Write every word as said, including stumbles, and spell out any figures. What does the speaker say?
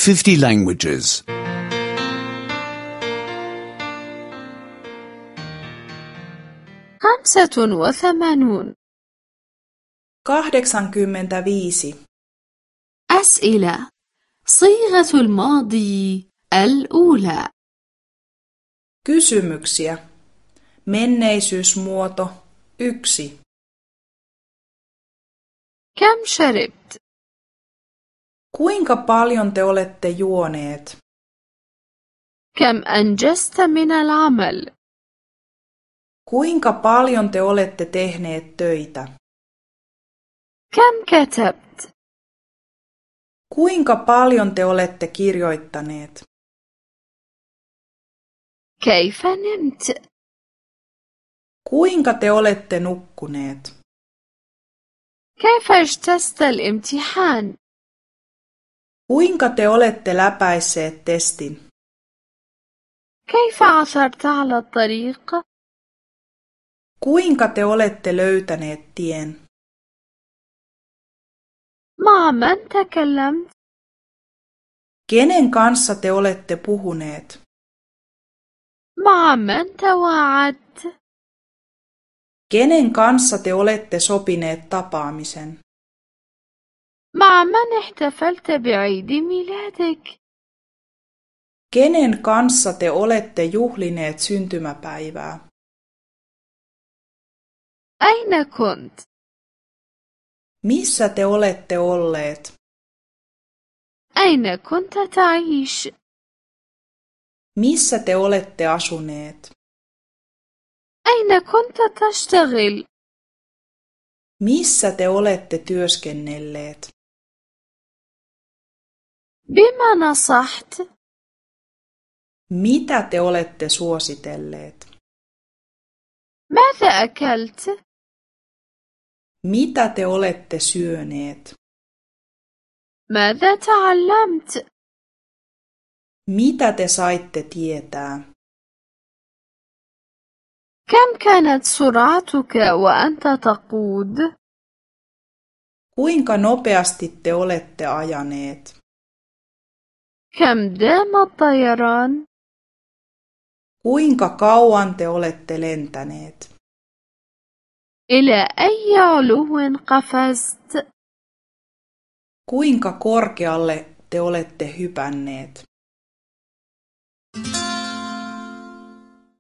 fifty languages. خمسة وثمانون. kahdeksankymmentäviisi. أسئلة. صيغة الماضي الأولى. Kysymyksiä. Menneisyysmuoto yksi. كم شربت؟ Kuinka paljon te olette juoneet? كم أنجزت من العمل؟ Kuinka paljon te olette tehneet töitä? كم كتبت؟ Kuinka paljon te olette kirjoittaneet? كيف نمت؟ Kuinka te olette nukkuneet? كيف اجتزت الامتحان؟ Kuinka te olette läpäisseet testin? كيف عثرت على الطريق؟ Kuinka te olette löytäneet tien? مع من تكلمت؟ Kenen kanssa te olette puhuneet? مع من تواعدت؟ Kenen kanssa te olette sopineet tapaamisen? مع من احتفلت بعيد ميلادك؟ Kenen kanssa te olette juhlineet syntymäpäivää? أين كنت؟ Missä te olette olleet? أين كنت تعيش؟ Missä te olette asuneet? أين كنت تشتغل؟ Missä te olette työskennelleet? بما نصحت؟ Mitä te olette suositelleet? ماذا أكلت؟ Mitä te olette syöneet? ماذا تعلمت؟ Mitä te saitte tietää? كم كانت سرعتك وأنت تقود؟ Kuinka nopeasti te olette ajaneet? كم دام الطيران؟ Kuinka kauan te olette lentäneet? إلى أي علو قفزت؟ Kuinka korkealle te olette hypänneet?